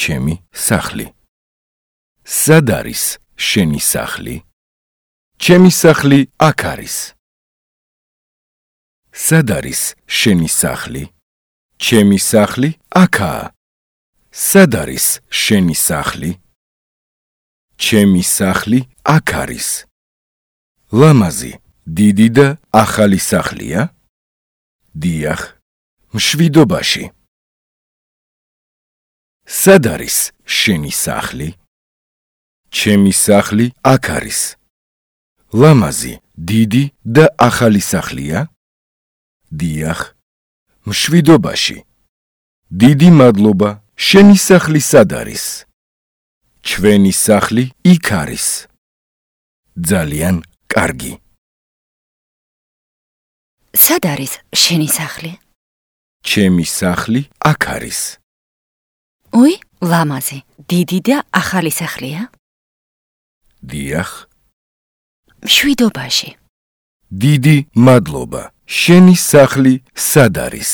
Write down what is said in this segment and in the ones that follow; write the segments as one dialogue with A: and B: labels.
A: ჩემი სახლი? სად არის შენი სახლი? ჩემი სახლი აქ არის. სად არის შენი სახლი? ჩემი სახლი აქაა. სად არის შენი სახლი? ჩემი სახლი აქ არის. ლამაზი, დიდი და ახალი სახლია? დიახ, მშვიდობაში. სად არის შენი სახლი? ჩემი სახლი აქ არის. ლამაზი, დიდი და ახალი სახლია? დიახ, მშვიდობაში. დიდი მადლობა, შენი სახლი სად არის? ჩვენი სახლი იქ არის. ძალიან კარგი.
B: სად არის შენი სახლი?
A: ჩემი სახლი აქ არის.
B: უი, ლამაზი, დიდი და ახალი სახლია?
A: დიახ,
B: მშვიდობაში.
A: დიდი მადლობა, შენი სახლი სად არის?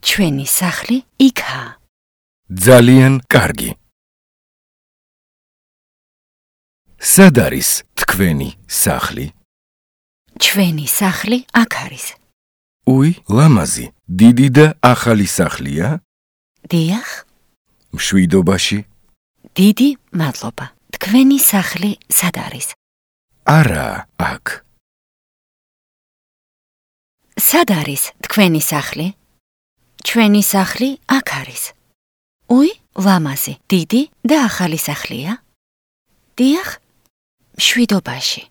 B: ჩვენი სახლი იქაა.
A: ძალიან კარგი. სად არის თქვენი სახლი?
B: ჩვენი სახლი აქ არის.
A: უი, ლამაზი, დიდი და ახალი სახლია?
B: დიახ,
A: მშვიდობაში.
B: დიდი მადლობა. თქვენი სახლი სად არის?
A: არა, აქ.
B: სად არის თქვენი სახლი? ჩვენი სახლი აქ არის. უი, ლამაზი, დიდი და ახალი სახლია? დიახ, მშვიდობაში.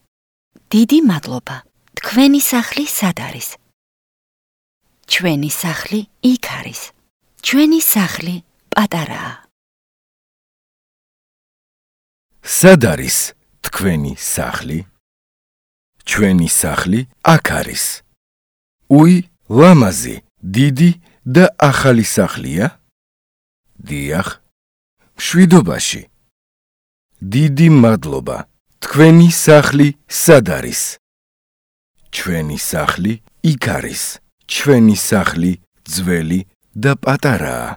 B: დიდი მადლობა. თქვენი სახლი სად არის? ჩვენი სახლი იქ არის. ჩვენი სახლი პატარაა.
A: სად არის თქვენი სახლი? ჩვენი სახლი აქ არის. უი, ლამაზი, დიდი და ახალი სახლია? დიახ, მშვიდობაში. დიდი მადლობა. თქვენი სახლი სად არის? ჩვენი სახლი იქ არის. ჩვენი სახლი ძველი და პატარაა.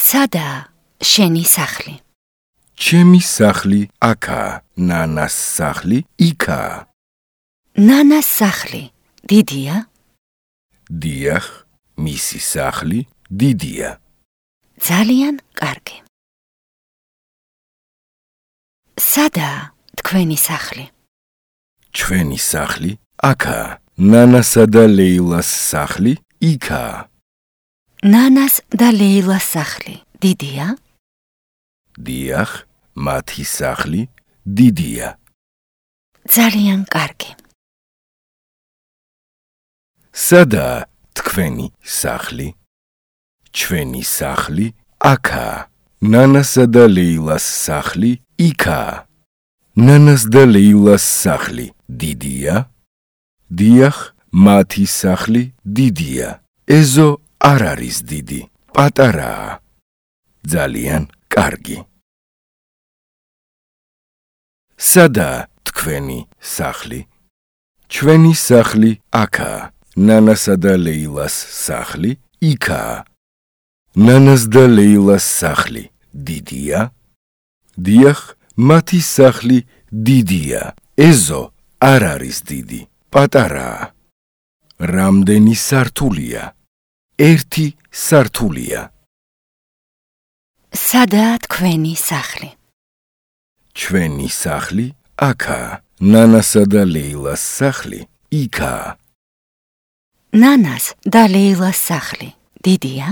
B: სადაა შენი სახლი?
A: ჩემი სახლი აქაა. ნანას სახლი იქაა.
B: ნანას სახლი დიდია?
A: დიახ, მისი სახლი დიდია.
B: ძალიან კარგი. სადაა თქვენი სახლი?
A: ჩვენი სახლი აქაა. ნანასა და ლეილას სახლი იქაა.
B: ნანას და ლეილას სახლი დიდია?
A: დიახ, მათი სახლი დიდია.
B: ძალიან კარგი.
A: სადაა თქვენი სახლი? ჩვენი სახლი აქაა. ნანასა და ლეილას სახლი იქაა. ნანას და ლეილას სახლი დიდია? დიახ, მათი სახლი დიდია. ეზო არ არის დიდი, პატარაა. ძალიან კარგი. სადაა თქვენი სახლი? ჩვენი სახლი აქაა. ნანასა და ლეილას სახლი იქაა. ნანას და ლეილას სახლი დიდია? დიახ, მათი სახლი დიდია. ეზო არ არის დიდი, პატარაა. რამდენი სართულია? ერთი სართულია.
B: სადაა თქვენი სახლი?
A: ჩვენი სახლი აქაა. ნანასა და ლეილას სახლი იქაა.
B: ნანას და ლეილას სახლი დიდია?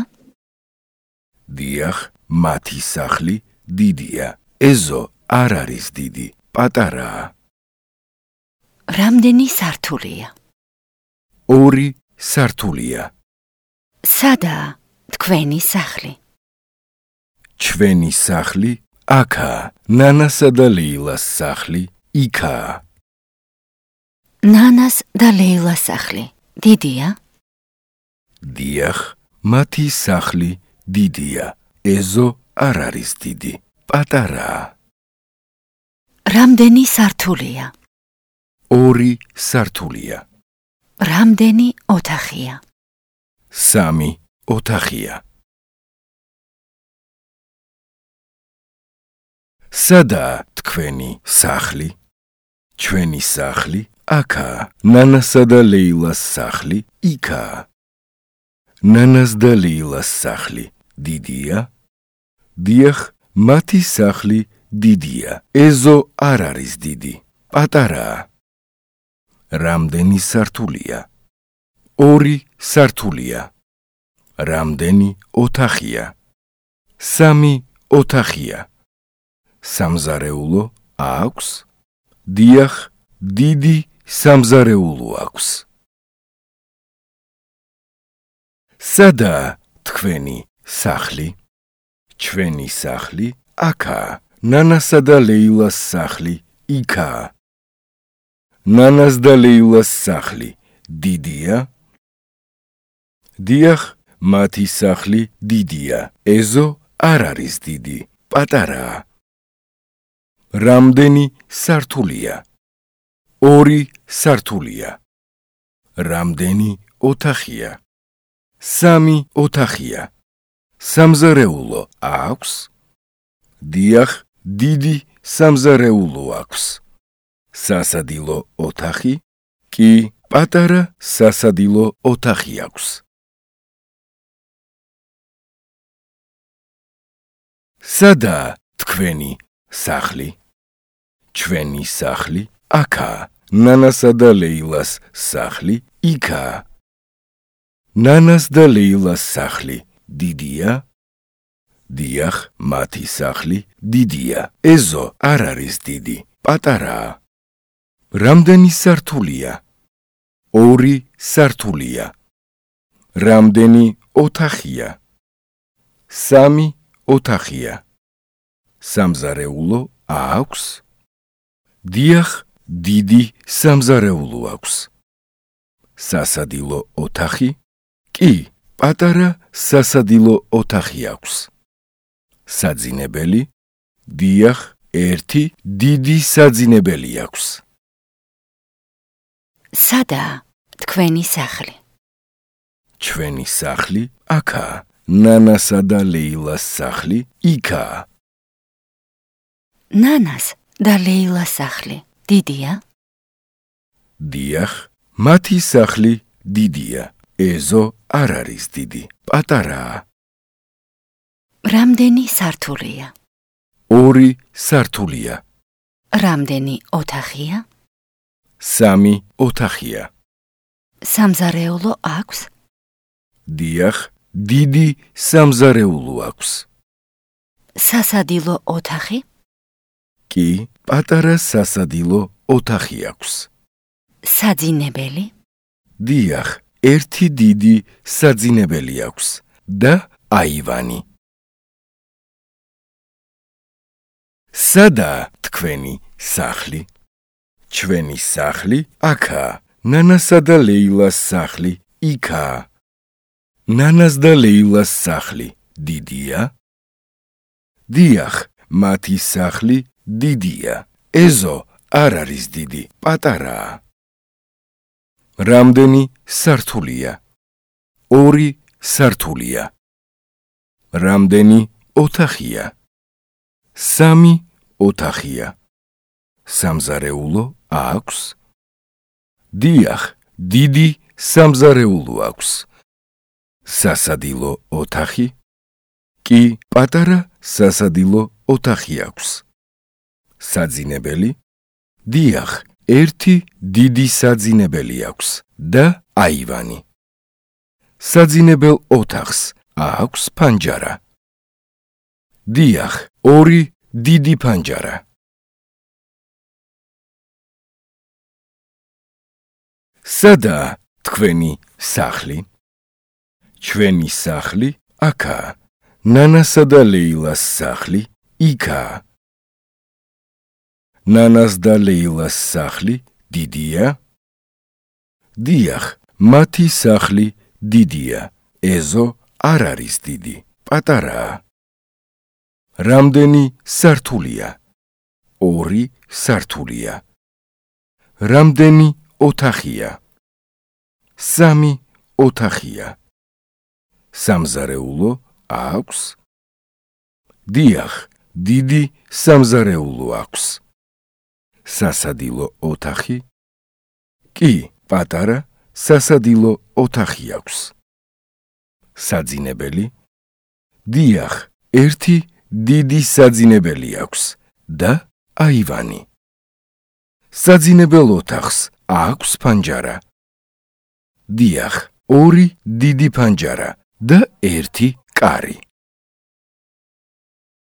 A: დიახ, მათი სახლი დიდია. ეზო არ არის დიდი, პატარაა.
B: რამდენი სართულია?
A: ორი სართულია.
B: სადაა თქვენი სახლი?
A: ჩვენი სახლი აქაა. ნანასა და ლეილას სახლი იქაა.
B: ნანას და ლეილას სახლი დიდია?
A: დიახ, მათი სახლი დიდია. ეზო არ არის დიდი, პატარაა.
B: რამდენი სართულია?
A: ორი სართულია.
B: რამდენი ოთახია?
A: სამი ოთახია. სადაა თქვენი სახლი? ჩვენი სახლი აქაა. ნანასა და ლეილას სახლი იქაა. ნანას და ლეილას სახლი დიდია? დიახ, მათი სახლი დიდია. ეზო არ არის დიდი, პატარაა. რამდენი სართულია? 2 სართულია. რამდენი ოთახია? 3 ოთახია. სამზარეულო აქვს? დიახ, დიდი სამზარეულო აქვს. სადაა თქვენი სახლი? ჩვენი სახლი აქაა. ნანასა და ლეილას სახლი იქაა. ნანას და ლეილას სახლი დიდია? დიახ, მათი სახლი დიდია. ეზო არ არის დიდი, პატარაა. რამდენი სართულია? 2 სართულია. რამდენი ოთახია? 3 ოთახია. სამზარეულო აქვს? დიახ, დიდი სამზარეულო აქვს. სასადილო ოთახი? კი, პატარა სასადილო ოთახი აქვს. სადაა თქვენი სახლი? ჩვენი სახლი აქაა. ნანასა და ლეილას სახლი იქაა. ნანას და ლეილას სახლი დიდია? დიახ, მათი სახლი დიდია. ეზო არ არის დიდი, პატარაა. რამდენი სართულია? 2 სართულია. რამდენი ოთახია? 3 ოთახია. სამზარეულო აქვს? დიახ, დიდი სამზარეულო აქვს. სასადილო ოთახი? კი, პატარა სასადილო ოთახი აქვს. საძინებელი? დიახ, 1 დიდი საძინებელი აქვს.
B: სადაა თქვენი სახლი?
A: ჩვენი სახლი აქაა. ნანასა და ლეილას სახლი იქაა.
B: ნანას და ლეილას სახლი დიდია?
A: დიახ, მათი სახლი დიდია. ეზო არ არის დიდი, პატარაა.
B: რამდენი სართულია?
A: 2 სართულია.
B: რამდენი ოთახია?
A: 3 ოთახია.
B: სამზარეულო აქვს?
A: დიახ, დიდი სამზარეულო აქვს.
B: სასადილო ოთახი?
A: კი, პატარა სასადილო ოთახი აქვს.
B: საძინებელი?
A: დიახ, 1 დიდი საძინებელი აქვს და აივანი. სადაა თქვენი სახლი? ჩვენი სახლი აქაა. ნანასა და ლეილას სახლი იქაა. ნანას და ლეილას სახლი დიდია? დიახ, მათი სახლი დიდია. ეზო არ არის დიდი, პატარაა. რამდენი სართულია? 2 სართულია. რამდენი ოთახია? 3 ოთახია. სამზარეულო აქვს? დიახ, დიდი სამზარეულო აქვს. სასადილო ოთახი? კი, პატარა სასადილო ოთახი აქვს. საძინებელი? დიახ, 1 დიდი საძინებელი აქვს და აივანი. საძინებელ ოთახს აქვს ფანჯარა? დიახ, 2 დიდი ფანჯარა. სადაა თქვენი სახლი? ჩვენი სახლი აქაა. ნანასა და ლეილას სახლი იქაა. ნანას და ლეილას სახლი დიდია? დიახ, მათი სახლი დიდია. ეზო არ არის დიდი, პატარაა. რამდენი სართულია? 2 სართულია. რამდენი ოთახია? 3 ოთახია. სამზარეულო აქვს? დიახ, დიდი სამზარეულო აქვს. სასადილო ოთახი? კი, პატარა სასადილო ოთახი აქვს. საძინებელი? დიახ, ერთი დიდი საძინებელი აქვს და აივანი. საძინებელ ოთახს აქვს ფანჯარა. დიახ, ორი დიდი ფანჯარა და ერთი კარი.